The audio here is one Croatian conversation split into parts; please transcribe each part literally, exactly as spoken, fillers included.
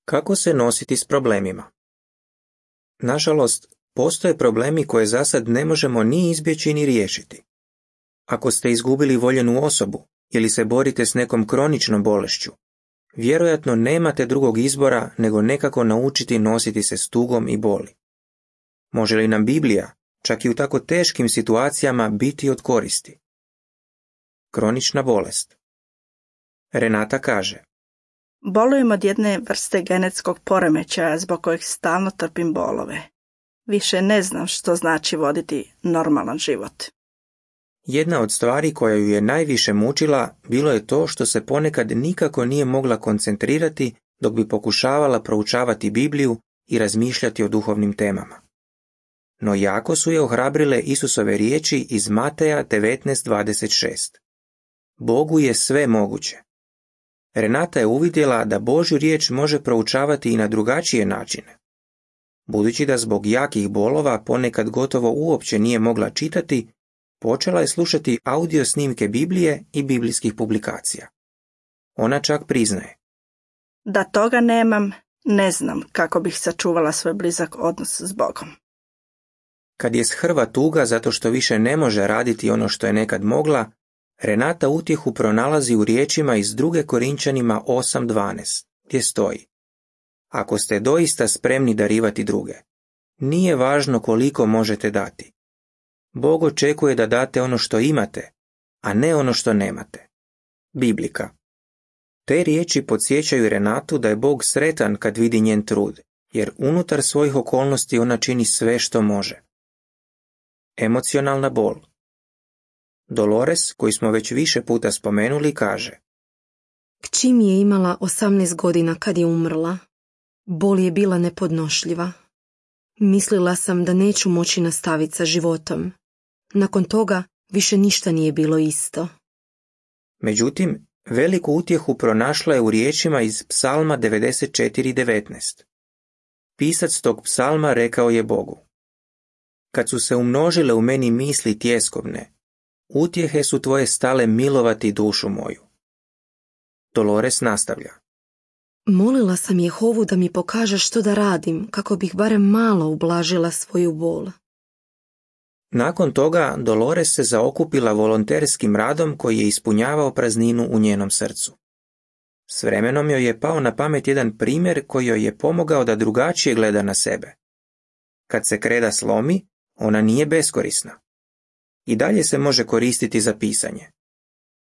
Kako se nositi s problemima? Nažalost, postoje problemi koje zasad ne možemo ni izbjeći ni riješiti. Ako ste izgubili voljenu osobu ili se borite s nekom kroničnom bolešću, vjerojatno nemate drugog izbora nego nekako naučiti nositi se s tugom i boli. Može li nam Biblija, čak i u tako teškim situacijama, biti od koristi? Kronična bolest. Renata kaže: Bolujem od jedne vrste genetskog poremećaja zbog kojeg stalno trpim bolove. Više ne znam što znači voditi normalan život. Jedna od stvari koja ju je najviše mučila bilo je to što se ponekad nikako nije mogla koncentrirati dok bi pokušavala proučavati Bibliju i razmišljati o duhovnim temama. No jako su je ohrabrile Isusove riječi iz Mateja devetnaest dvadeset šest. Bogu je sve moguće. Renata je uvidjela da Božju riječ može proučavati i na drugačije načine. Budući da zbog jakih bolova ponekad gotovo uopće nije mogla čitati, počela je slušati audio snimke Biblije i biblijskih publikacija. Ona čak priznaje: Da toga nemam, ne znam kako bih sačuvala svoj blizak odnos s Bogom. Kad je shrva tuga zato što više ne može raditi ono što je nekad mogla, Renata utjehu pronalazi u riječima iz druge Korinčanima osam dvanaest, gdje stoji: Ako ste doista spremni darivati druge, nije važno koliko možete dati. Bog očekuje da date ono što imate, a ne ono što nemate. Biblika. Te riječi podsjećaju Renatu da je Bog sretan kad vidi njen trud, jer unutar svojih okolnosti ona čini sve što može. Emocionalna bol. Dolores, koji smo već više puta spomenuli, kaže: Kći mi je imala osamnaest godina kad je umrla. Bol je bila nepodnošljiva. Mislila sam da neću moći nastaviti sa životom. Nakon toga više ništa nije bilo isto. Međutim, veliku utjehu pronašla je u riječima iz Psalma devedeset četiri devetnaest. Pisac tog psalma rekao je Bogu: Kad su se umnožile u meni misli tjeskovne, utjehe su tvoje stale milovati dušu moju. Dolores nastavlja: Molila sam Jehovu da mi pokaže što da radim, kako bih barem malo ublažila svoju bol. Nakon toga Dolores se zaokupila volonterskim radom koji je ispunjavao prazninu u njenom srcu. S vremenom joj je pao na pamet jedan primjer koji joj je pomogao da drugačije gleda na sebe. Kad se kreda slomi, ona nije beskorisna. I dalje se može koristiti za pisanje.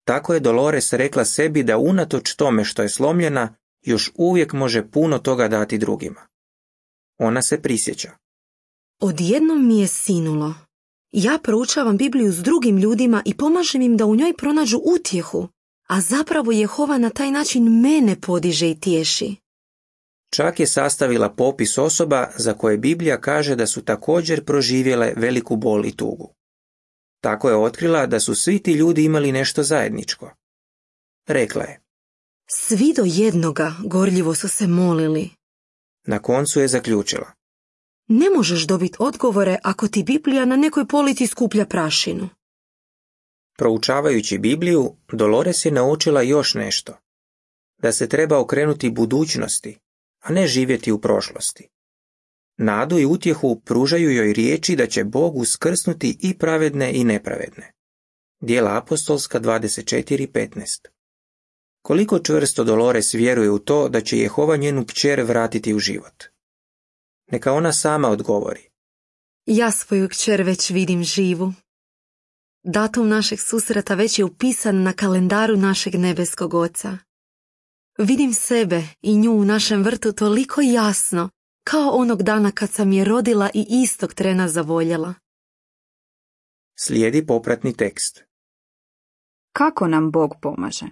Tako je Dolores rekla sebi da unatoč tome što je slomljena, još uvijek može puno toga dati drugima. Ona se prisjeća: Odjednom mi je sinulo. Ja proučavam Bibliju s drugim ljudima i pomažem im da u njoj pronađu utjehu, a zapravo Jehova na taj način mene podiže i tješi. Čak je sastavila popis osoba za koje Biblija kaže da su također proživjele veliku bol i tugu. Tako je otkrila da su svi ti ljudi imali nešto zajedničko. Rekla je: Svi do jednoga gorljivo su se molili. Na koncu je zaključila: Ne možeš dobiti odgovore ako ti Biblija na nekoj polici skuplja prašinu. Proučavajući Bibliju, Dolores je naučila još nešto. Da se treba okrenuti budućnosti, a ne živjeti u prošlosti. Nadu i utjehu pružaju joj riječi da će Bog uskrsnuti i pravedne i nepravedne. Djela apostolska dvadeset četiri petnaest. Koliko čvrsto Dolores vjeruje u to da će Jehova njenu kćer vratiti u život? Neka ona sama odgovori: Ja svoju kćer već vidim živu. Datum našeg susreta već je upisan na kalendaru našeg nebeskog Oca. Vidim sebe i nju u našem vrtu toliko jasno, kao onog dana kad sam je rodila i istog trena zavoljela. Slijedi popratni tekst. Kako nam Bog pomaže?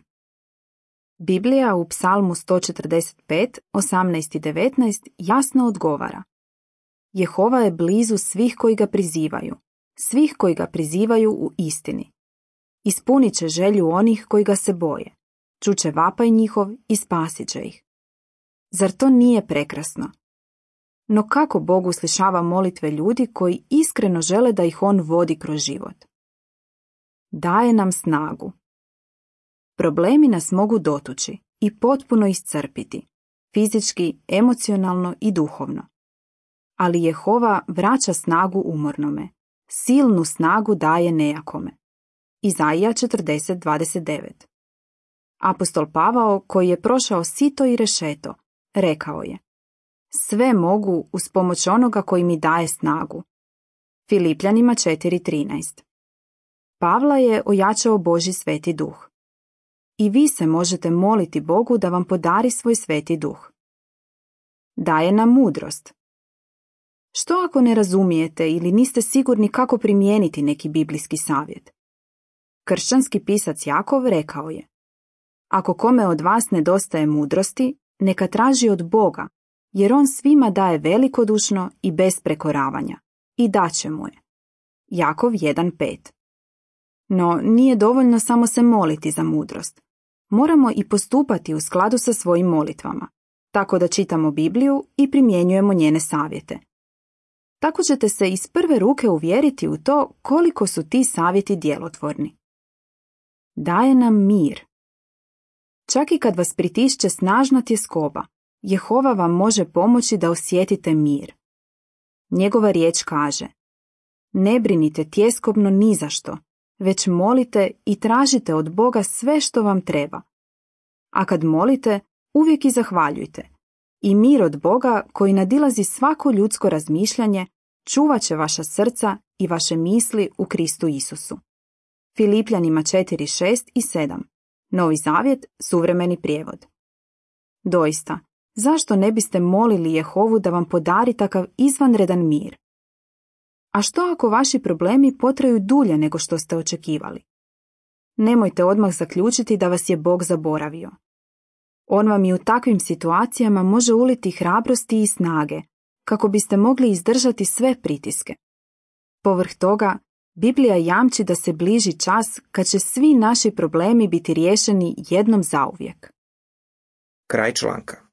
Biblija u Psalmu sto četrdeset pet, osamnaest i devetnaest jasno odgovara: Jehova je blizu svih koji ga prizivaju, svih koji ga prizivaju u istini. Ispunit će želju onih koji ga se boje, čuće vapaj njihov i spasit će ih. Zar to nije prekrasno? No kako Bog uslišava molitve ljudi koji iskreno žele da ih on vodi kroz život? Daje nam snagu. Problemi nas mogu dotući i potpuno iscrpiti, fizički, emocionalno i duhovno. Ali Jehova vraća snagu umornome, silnu snagu daje nejakome. Izaija četrdeset dvadeset devet. Apostol Pavao, koji je prošao sito i rešeto, rekao je: sve mogu uz pomoć onoga koji mi daje snagu. Filipljanima četiri trinaest. Pavla je ojačao Božji sveti duh. I vi se možete moliti Bogu da vam podari svoj sveti duh. Daje nam mudrost. Što ako ne razumijete ili niste sigurni kako primijeniti neki biblijski savjet? Kršćanski pisac Jakov rekao je: ako kome od vas nedostaje mudrosti, neka traži od Boga, jer on svima daje velikodušno i bez prekoravanja, i daće mu je. Jakov jedan pet. No, nije dovoljno samo se moliti za mudrost. Moramo i postupati u skladu sa svojim molitvama, tako da čitamo Bibliju i primjenjujemo njene savjete. Tako ćete se iz prve ruke uvjeriti u to koliko su ti savjeti djelotvorni. Daje nam mir. Čak i kad vas pritišće snažna tjeskoba, Jehova vam može pomoći da osjetite mir. Njegova riječ kaže: ne brinite tjeskobno ni za što, već molite i tražite od Boga sve što vam treba. A kad molite, uvijek i zahvaljujte. I mir od Boga, koji nadilazi svako ljudsko razmišljanje, čuvat će vaša srca i vaše misli u Kristu Isusu. Filipljanima četiri šest i sedam. Novi zavjet, suvremeni prijevod. Doista, zašto ne biste molili Jehovu da vam podari takav izvanredan mir? A što ako vaši problemi potraju dulje nego što ste očekivali? Nemojte odmah zaključiti da vas je Bog zaboravio. On vam i u takvim situacijama može uliti hrabrosti i snage, kako biste mogli izdržati sve pritiske. Povrh toga, Biblija jamči da se bliži čas kad će svi naši problemi biti riješeni jednom zauvijek. Kraj članka.